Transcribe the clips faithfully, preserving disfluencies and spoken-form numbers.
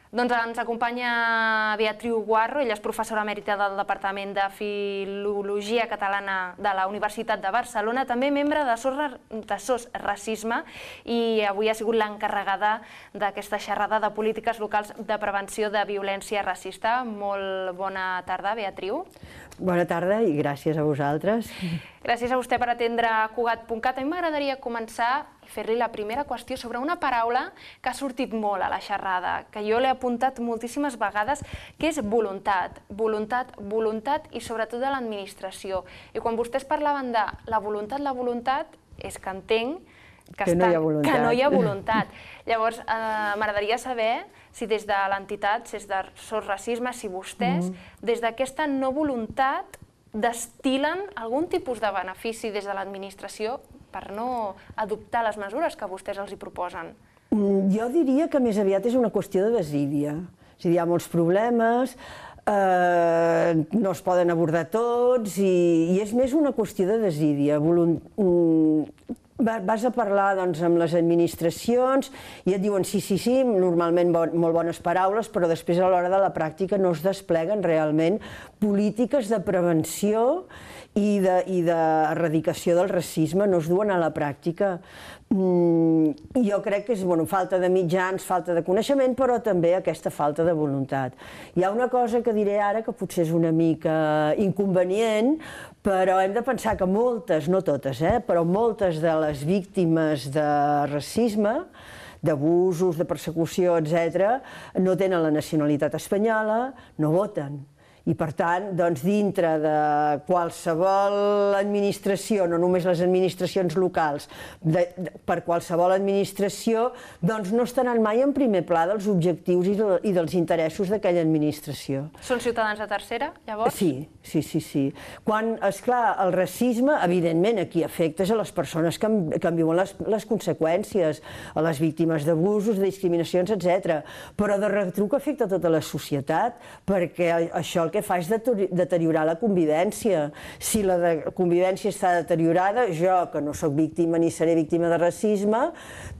Doncs ens acompanya Beatriu Guarro, ella és professora emèrita del Departament de Filologia Catalana de la Universitat de Barcelona, també membre de SOS Racisme, i avui ha sigut l'encarregada d'aquesta xerrada de polítiques locals de prevenció de violència racista. Molt bona tarda, Beatriu. Bona tarda i gràcies a vosaltres. Gràcies a vostè per atendre Cugat punt cat. A mi m'agradaria començar i fer-li la primera qüestió sobre una paraula que ha sortit molt a la xerrada, que jo l'he apuntat moltíssimes vegades, que és voluntat. Voluntat, voluntat i sobretot de l'administració. I quan vostès parlaven de la voluntat, la voluntat, és que entenc que no hi ha voluntat. Que no hi ha voluntat. Llavors, m'agradaria saber si des de l'entitat, si des de SOS Racisme, si vostès, des d'aquesta no voluntat, destil·len algun tipus de benefici des de l'administració per no adoptar les mesures que vostès els hi proposen. Jo diria que més aviat és una qüestió de desídia. És a dir, hi ha molts problemes, no es poden abordar tots i és més una qüestió de desídia. Vas a parlar amb les administracions i et diuen sí, sí, sí, normalment molt bones paraules, però després a l'hora de la pràctica no es despleguen realment polítiques de prevenció i d'erradicació del racisme, no es duen a la pràctica. Jo crec que és falta de mitjans, falta de coneixement, però també aquesta falta de voluntat. Hi ha una cosa que diré ara que potser és una mica inconvenient, però hem de pensar que moltes, no totes, però moltes de les víctimes de racisme, d'abusos, de persecució, etcètera, no tenen la nacionalitat espanyola, no voten. I, per tant, dintre de qualsevol administració, no només les administracions locals, per qualsevol administració, doncs no estaran mai en primer pla dels objectius i dels interessos d'aquella administració. Són ciutadans de tercera, llavors? Sí, sí, sí, sí. Quan, esclar, el racisme, evidentment, aquí afectes a les persones que en viuen les conseqüències, a les víctimes d'abusos, de discriminacions, etcètera. Però de retruc afecta tota la societat, perquè això el que fa és deteriorar la convivència. Si la convivència està deteriorada, jo, que no soc víctima ni seré víctima de racisme,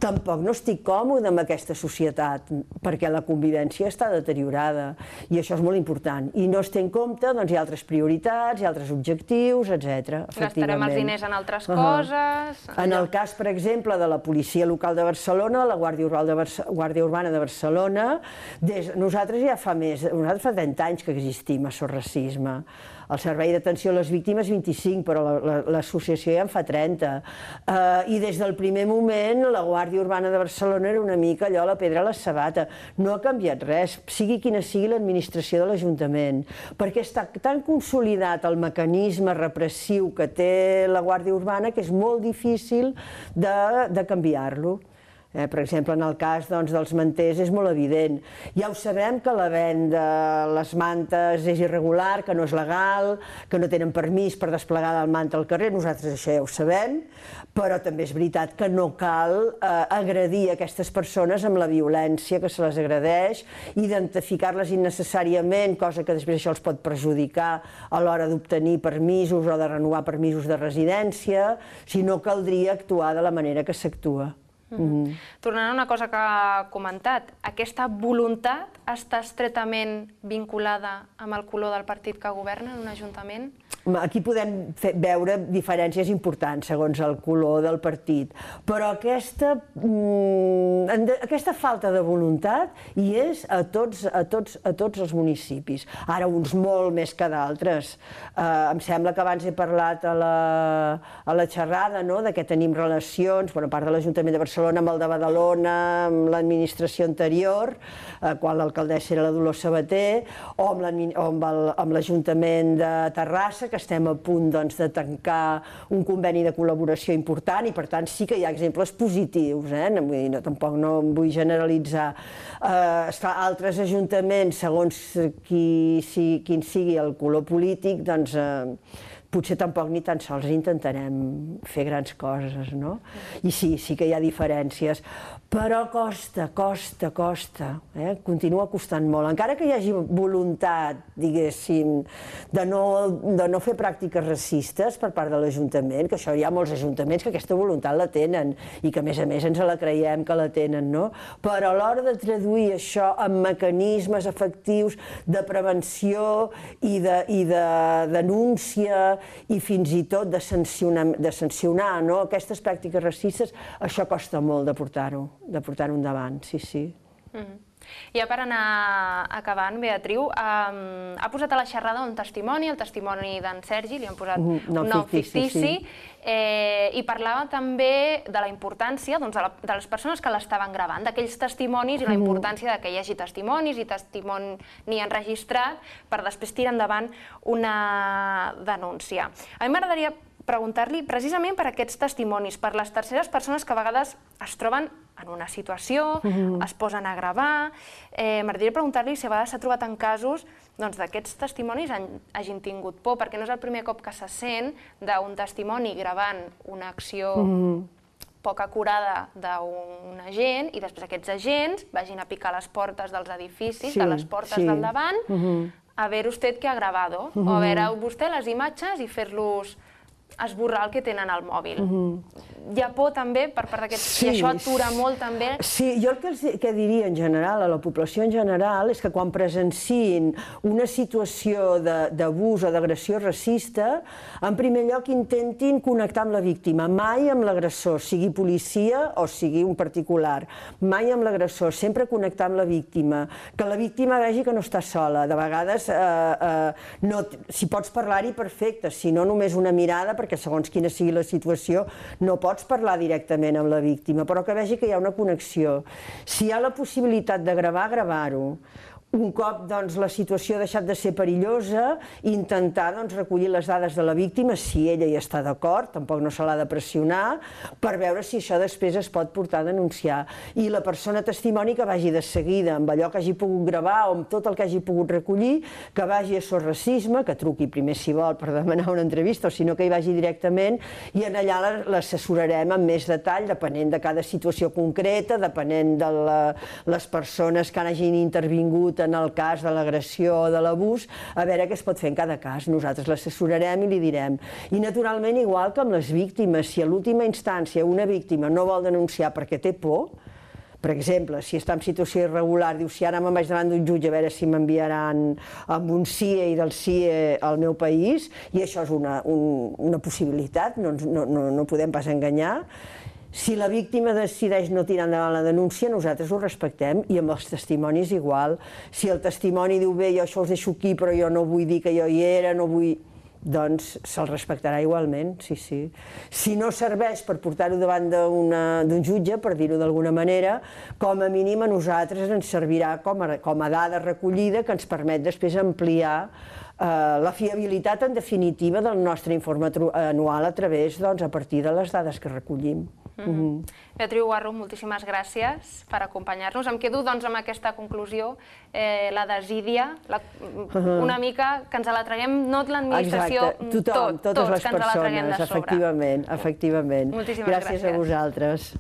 tampoc no estic còmode amb aquesta societat, perquè la convivència està deteriorada. I això és molt important. I no es té en compte, doncs hi ha altres prioritats, hi ha altres objectius, etcètera. Gastarem els diners en altres coses... En el cas, per exemple, de la policia local de Barcelona, de la Guàrdia Urbana de Barcelona, nosaltres ja fa més, nosaltres fa trenta anys que existim a SOS Racisme. El Servei d'Atenció a les Víctimes vint-i-cinc, però l'associació ja en fa trenta. I des del primer moment la Guàrdia Urbana de Barcelona era una mica allò, la pedra a la sabata. No ha canviat res, sigui quina sigui l'administració de l'Ajuntament, perquè està tan consolidat el mecanisme repressiu que té la Guàrdia Urbana que és molt difícil de canviar-lo. Per exemple, en el cas dels manters és molt evident. Ja ho sabem que la venda de les mantes és irregular, que no és legal, que no tenen permís per desplegar el manta al carrer, nosaltres això ja ho sabem, però també és veritat que no cal agredir aquestes persones amb la violència que se les agredeix, identificar-les innecessàriament, cosa que després això els pot perjudicar a l'hora d'obtenir permisos o de renovar permisos de residència, si no caldria actuar de la manera que s'actua. Tornant a una cosa que ha comentat, aquesta voluntat està estretament vinculada amb el color del partit que governa en un ajuntament? Aquí podem veure diferències importants segons el color del partit, però aquesta falta de voluntat hi és a tots els municipis, ara uns molt més que d'altres. Em sembla que abans he parlat a la xerrada que tenim relacions, a part de l'Ajuntament de Barcelona, amb el de Badalona, amb l'administració anterior, quan l'alcaldessa era la Dolors Sabater, o amb l'Ajuntament de Terrassa, que estem a punt de tancar un conveni de col·laboració important i, per tant, sí que hi ha exemples positius, tampoc no em vull generalitzar. Altres ajuntaments, segons quin sigui el color polític, doncs potser tampoc ni tan sols intentarem fer grans coses, no? I sí, sí que hi ha diferències, però costa, costa, costa, eh? Continua costant molt. Encara que hi hagi voluntat, diguéssim, de no, de no fer pràctiques racistes per part de l'Ajuntament, que això hi ha molts ajuntaments que aquesta voluntat la tenen i que a més a més ens la creiem que la tenen, no? Però a l'hora de traduir això en mecanismes efectius de prevenció i de, i de denúncia i fins i tot de sancionar, de sancionar, no? Aquestes pràctiques racistes, això costa molt de portar-ho, de portar-ho endavant, sí, sí. Mm-hmm. Ja per anar acabant, Beatriu, um, ha posat a la xerrada un testimoni, el testimoni d'en Sergi, li han posat un nom fictici, eh, i parlava també de la importància doncs, de, la, de les persones que l'estaven gravant, d'aquells testimonis i la importància de que hi hagi testimonis i testimoni enregistrat per després tirar endavant una denúncia. A mi m'agradaria preguntar-li precisament per aquests testimonis, per les terceres persones que a vegades es troben en una situació, mm-hmm. es posen a gravar. Eh, M'agradaria preguntar-li si a vegades s'ha trobat en casos doncs, d'aquests testimonis han, hagin tingut por, perquè no és el primer cop que se sent d'un testimoni gravant una acció mm-hmm. poc acurada d'un agent i després aquests agents vagin a picar les portes dels edificis, sí, de les portes sí. del davant, mm-hmm. a ver usted què ha grabado, mm-hmm. o a veure vostè les imatges i fer-los esborrar el que tenen al mòbil. Mm-hmm. Hi ha por també per part d'aquests... Sí, i això atura molt també... Sí, jo el que, els, que diria en general, a la població en general, és que quan presenciïn una situació d'abús o d'agressió racista, en primer lloc intentin connectar amb la víctima, mai amb l'agressor, sigui policia o sigui un particular, mai amb l'agressor, sempre connectar amb la víctima, que la víctima vegi que no està sola. De vegades, eh, eh, no, si pots parlar-hi, perfecte, si no només una mirada, perquè segons quina sigui la situació, no pots parlar directament amb la víctima, però que vegi que hi ha una connexió. Si hi ha la possibilitat de gravar, gravar-ho. Un cop doncs, la situació ha deixat de ser perillosa, intentar doncs, recollir les dades de la víctima, si ella hi està d'acord, tampoc no se l'ha de pressionar, per veure si això després es pot portar a denunciar. I la persona testimoni que vagi de seguida amb allò que hagi pogut gravar o amb tot el que hagi pogut recollir, que vagi a Sos Racisme, que truqui primer si vol per demanar una entrevista o si no que hi vagi directament i en allà l'assessorarem amb més detall, depenent de cada situació concreta, depenent de la, les persones que hagin intervingut en el cas de l'agressió o de l'abús, a veure què es pot fer en cada cas. Nosaltres l'assessorarem i li direm. I naturalment, igual que amb les víctimes, si a l'última instància una víctima no vol denunciar perquè té por, per exemple, si està en situació irregular, diu, si ara me'n vaig davant d'un jutge a veure si m'enviaran amb un C I E i del C I E al meu país, i això és una, un, una possibilitat, no, no, no, no podem pas enganyar. Si la víctima decideix no tirar endavant la denúncia, nosaltres ho respectem, i amb els testimonis igual. Si el testimoni diu, bé, jo això els deixo aquí, però jo no vull dir que jo hi era, no vull... doncs se'l respectarà igualment, sí, sí. Si no serveix per portar-ho davant d'un jutge, per dir-ho d'alguna manera, com a mínim a nosaltres ens servirà com a, com a dada recollida que ens permet després ampliar eh, la fiabilitat, en definitiva, del nostre informe anual a través, doncs, a partir de les dades que recollim. Mm-hmm. Mm-hmm. Beatriu Guarro, moltíssimes gràcies per acompanyar-nos. Em quedo doncs, amb aquesta conclusió, eh, la desídia, la, uh-huh. una mica que ens la traguem, no l'administració, tothom, tot, totes tots les que ens la traguem persones, de sobre. efectivament, efectivament. Moltíssimes gràcies. Gràcies a vosaltres.